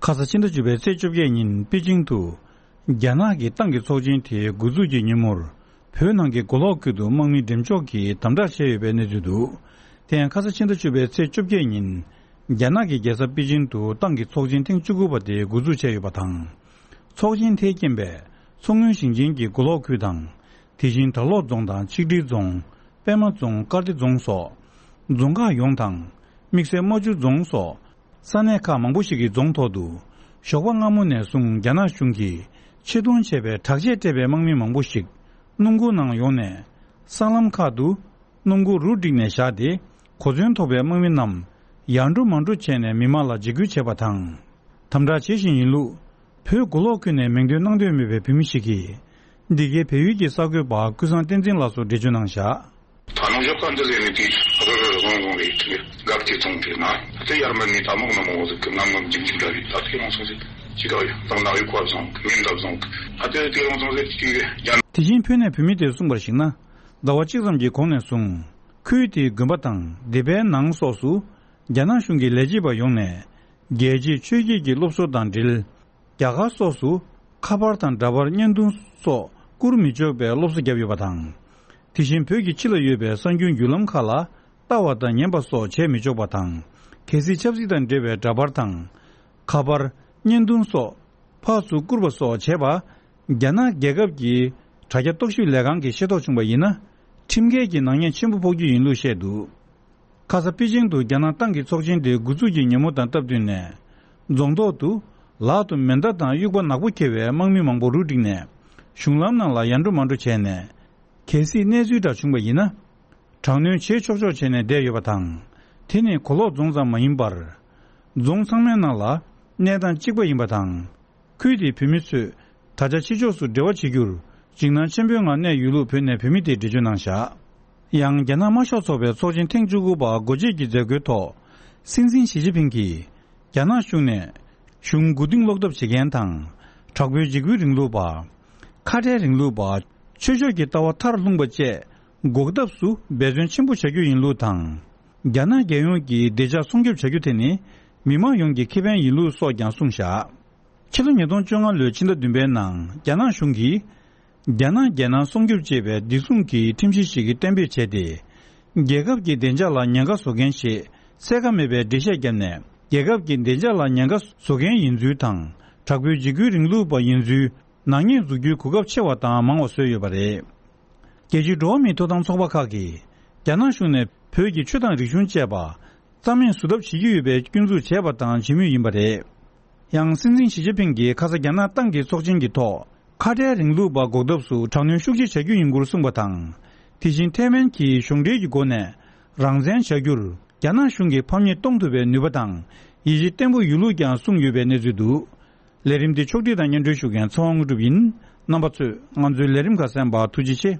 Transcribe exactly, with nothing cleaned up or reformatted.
ཁ་ས་ཕྱི་ཟླ་བཅུ་པའི་ཚེས་བཅོ་བརྒྱད་ཉིན་པེ་ཅིང་དུ། རྒྱ་ནག་གི་ཏང་གི་ཚོགས་ཆེན་དེའི་འགོ་འཛུགས་ཀྱི་ཉིན་མོར། བོད་ནང་གི་མགོ་ལོག་ཁུལ་དུ་དམག་མི་འགྲེམས་འཇོག་གིས་དམ་དྲག་བྱས་ཡོད་པའི་གནས་ཚུལ་འདུག་དེ་ཡང་ཁ་ས་ཕྱི་ཟླ་བཅུ་པའི་ཚེས་བཅོ་བརྒྱད་ཉིན། རྒྱ་ནག་གི་རྒྱལ་ས་པེ་ཅིང་དུ་ཏང་གི་ཚོགས་ཆེན་ཐེངས་བཅུ་དགུ་པ་དེ་འགོ་འཛུགས་བྱས་ཡོད་པ་དང་། ཚོགས་ཆེན་དེའི་རྐྱེན་པས། མཚོ་སྔོན་ཞིང་ཆེན་གྱི་མགོ་ལོག་ཁུལ་དང་། དེ་བཞིན་དར་ལོག་རྫོང་དང་ཆིག་སྒྲིལ་རྫོང་། པད་མ་རྫོང་། དཀར་སྡེ་རྫོང་སོགས། རྫོང་ཁག་ཡོངས་དང་། དམིགས་བསལ་རྨ་ཆུ་རྫོང་སོགས། ས་གནས་ཁག་མང་པོ་ཞིག་གི་རྫོང་ཐོག་ཏུ། ཞོགས་པ་སྔ་མོ་ནས་བཟུང་རྒྱ་ནག་གཞུང་གིས་ཆེད་གཏོང་བྱས་པའི་དྲག་ཆས་སྤྲས་པའི་དམག་མི་མང་པོ་ཞིག་སྣུམ་འཁོར་ནང་ཡོང་ནས། སྲང་ལམ་ཁག་ཏུ། སྣུམ་འཁོར་རུ་བསྒྲིགས་ནས་བཞག་སྟེ། གོ་མཚོན་ཐོགས་པའི་དམག་མི་རྣམས། ཡར་འགྲོ་མར་འགྲོ་བྱས་ནས་མི་མང་ལ་འཇིགས་སྐུལ་བྱས་པ་དང་། དམ་དྲག་བྱེད་བཞིན་ཡིན་ལུགས། བོད་མགོ་ལོག་ཁུལ་ནས་མིང་འདོན་གནང་འདོད་མེད་པའི་བོད་མི་ཞིག་གིས། འདི་གའི་བལ་ཡུལ་གྱི་གསར་འགོད་པ་ཀུན་བཟང་བསྟན་འཛིན་ལགས་སུ་འགྲེལ་བརྗོད་གནང་བཞག་ད་ནང་ཞོགས་ཀ་འདི་ཟེར་ནས་དེ་ཨ་རོ་རོ་རོང་རོང་རེད་དེ་གབ་དེ་ཐོང་དེ་ན་ད་དེ་ཡར་མར་ནི་ད་མོག་ན་མོག་ཟིག་གི་ངམ་ངམ་འཇིག་འཇིག་འདྲ་རེད། ད་དེ་རོང་སོང་ཟིག་ཅི་ག་ཡ་ད་ནག་ཡུ་ཁོ་སོང་མིན་འདབ་སོང་ཨ་དེ་དེ་རོང་སོང་ཟིག་ཅི་གི་ཡ། དེ་བཞིན་བོད་ནས་བོད་མི་དེས་གསུངས་པར་གཞིགས་ན། ཟླ་བ་གཅིག་ཙམ་གྱི་གོང་ནས་བཟུང་། ཁུལ་དེའི་དགོན་པ་དང་སྡེ་པའི་ནང་སོགས་སུ། རྒྱ་ནག་གཞུང་གི་ལས་བྱེད་པ་ཡོང་ནས། རྒྱལ་གཅེས་ཆོས་བརྒྱུད་ཀྱི་སློབ་གསོ་དང་འབྲེལ། རྒྱ་གར་སོགས་སུ་ཁ་པར་དང་འདྲ་པར་བརྙན་ཐུང་སོགས་བསྐུར་མི་ཆོག་པའི་སློབ་གསོ་བརྒྱབ་ཡོད་པ་དང་། དེ་བཞིན་བོད་ཀྱི་ཕྱི་ལ་ཡོད་པའི་གསར་འགྱུར་བརྒྱུད་ལམ་ཁག་ལ་ལྟ་བ་དང་ཉན་པ་སོགས་བྱས་མི་ཆོག་པ་དང་། གལ་སྲིད་ཆབ་སྲིད་དང་འབྲེལ་བའི་འདྲ་པར་དང་། ཁ་པར། བརྙན་ཐུང་སོགས་ཕར་ཚུར་བསྐུར་བ་སོགས་བྱས་པ། རྒྱ་ནག་རྒྱལ་ཁབ་ཀྱི་དྲ་རྒྱ་རྟོག་ཞིབ་ལས་ཁང་གིས་ཤེས་རྟོགས་བྱུང་བ་ཡིན་ན། ཁྲིམས་འགལ་གྱི་ནག་ཉེས་ཆེན་པོ་ཕོག་རྒྱུ་ཡིན་ལུགས་བཤད་འདུག་ཁ་ས་པེ་ཅིང་དུ་རྒྱ་ནག་ཏང་གི་ཚོགས་ཆེན་དེ་འགོ་འཛུགས་ཀྱི་ཉིན་མོ་དང་སྟབས་བསྟུན་ནས། རྫོང་ཐོག་ཏུ། ལག་ཏུ་མེ་མདའ་དང་དབྱུག་པ་ནག་པོ་འཁྱེར་བའི་དམག་མི་མང་པོ་རུ་བསྒྲིགས་ནས། གཞུང་ལམ་ནང་ལ་ཡར་འགྲོ་མར་འགྲོ་བྱས་ནས། གལ་སྲིད་གནས་ཚུལ་འདྲ་བྱུང་བ་ཡིན་ན། དྲག་གནོན་བྱེད་ཆོག་ཆོག་བྱས་ནས་བསྡད་ཡོད་པ་དང་། དེ་ནི་གོ་ལོག་རྫོང་ཙམ་མ་ཡིན་པར། རྫོང་ཚང་མའི་ནང་ལ་གནས་སྟངས་གཅིག་པ་ཡིན་པ་དང་། ཁུལ་དེའི་བོད་མི་ཚོས་ད་ཆ་ཕྱི་ཕྱོགས་སུ་འབྲེལ་བ་བྱེད་རྒྱུར་འཇིགས་སྣང་ཆེན་པོའི་ངང་གནས་ཡོད་ལུགས་བོད་ནས་བོད་མི་དེས་འགྲེལ་བརྗོད་གནང་བཞག་ཡང་རྒྱ་ནག་དམར་ཤོག་ཚོགས་པའི་ཚོགས་ཆེན་ཐེངས་བཅུ་དགུ་པ་སྒོ་འབྱེད་ཀྱི་མཛད་སྒོའི་ཐོག་སྲིད་འཛིན་ཞི་ཅིན་ཕིང་གིས། རྒྱ་ནག་གཞུང་ནས་གཞུང་མགོ་རྟིང་སློག་ཐབས་བྱེད་མཁན་དང་། དྲག་པོའི་འཇིགས་སྐུལ་རིང་ལུགས་པ། ཁ་བྲལ་རིང་ལུགས་པ། ཆོས་ཕྱོགས་ཀྱི་ལྟ་བ་མཐར་ལྷུང་པ་བཅས་འགོག་ཐབས་སུ་འབད་བརྩོན་ཆེན་པོ་བྱ་རྒྱུ་ཡིན་ལུགས་དང་། རྒྱ་ནག་རྒྱལ་ཡོངས་ཀྱི་བདེ་འཇགས་སྲུང་སྐྱོབ་བྱ་རྒྱུ་དེ་ནི་མི་དམངས་ཡོངས་ཀྱི་ཁེ་ཕན་ཡིན་ལུགས་སོགས་ཀྱང་གསུངས་བཞག་ཕྱི་ལོ་ཉིས་སྟོང་བཅོ་ལྔ་ལོའི་ཕྱི་ཟླ་བདུན་པའི་ནང་རྒྱ་ནག་གཞུང་གིས། རྒྱ་ནག་རྒྱལ་ནང་སྲུང་སྐྱོབ་ཅེས་པའི་བདེ་སྲུང་གི་ཁྲིམས་གཞི་ཞིག་གཏན་འབེབས་བྱས་ཏེ། རྒྱལ་ཁབ་ཀྱི་བདེ་འཇགས་ལ་ཉེན་ཁ་བཟོ་མཁན་ཞེས་གསལ་ཁ་མེད་པའི་འགྲེལ་བཤད་བརྒྱབ་ནས། རྒྱལ་ཁབ་ཀྱི་བདེ་འཇགས་ལ་ཉེན་ཁ་བཟོ་མཁན་ཡིན་ཚུལ་དང་། དྲག་པོའི་འཇིགས་སྐུལ་རིང་ལུགས་པ་ཡིན་ཚུལ་ནག་ཉེས་འཛུགས་རྒྱུའི་གོ་སྐབས་ཆེ་བ་དང་མང་བ་བཟོས་ཡོད་པ་རེད། རྒྱལ་སྤྱིའི་འགྲོ་བ་མིའི་ཐོབ་ཐང་ཚོགས་པ་ཁག་གིས། རྒྱ་ནག་གཞུང་ནས་བོད་ཀྱི་ཆོས་དང་རིག་གཞུང་བཅས་པ། རྩ་མེད་བཟོ་ཐབས་བྱེད་ཀྱི་ཡོད་པའི་སྐྱོན་འཛུགས་བྱས་པ་དང་བྱེད་མུས་ཡིན་པ་རེད། ཡང་སྲིད་འཛིན་ཞི་ཅིན་ཕིང་གིས་ཁ་ས་རྒྱ་ནག་ཏང་གི་ཚོགས་ཆེན་གྱི་ཐོག་ཁ་བྲལ་རིང་ལུགས་པ་འགོག་ཐབས་སུ་དྲག་གནོན་ཤུགས་ཆེ་བྱ་རྒྱུ་ཡིན་སྐོར་གསུངས་པ་དང་། དེ་བཞིན་ཐའེ་ཝན་གྱིས་གཞུང་འབྲེལ་གྱི་སྒོ་ནས་རང་བཙན་བྱ་རྒྱུར་རྒྱ་ནག་གཞུང་གི་ཕམ་ཉེས་གཏོང་ཐུབ་པའི་ནུས་པ་དང་ཡིད་ཆེས་བརྟན་པོ་ཡོད་ལུགས་ཀྱང་གསུངས་ཡོད་པའི་གནས་ཚུལ་འདུག་ལས་རིམ་འདི་ཕྱོགས་སྒྲིག་དང་སྙན་སྒྲོན་ཞུ་མཁན་ཚེ་དབང་དངོས་གྲུབ་ཡིན། རྣམ་པ་ཚོས་ང་ཚོའི་ལས་རིམ་ཁག་གསན་པར་ཐུགས་རྗེ་ཆེ།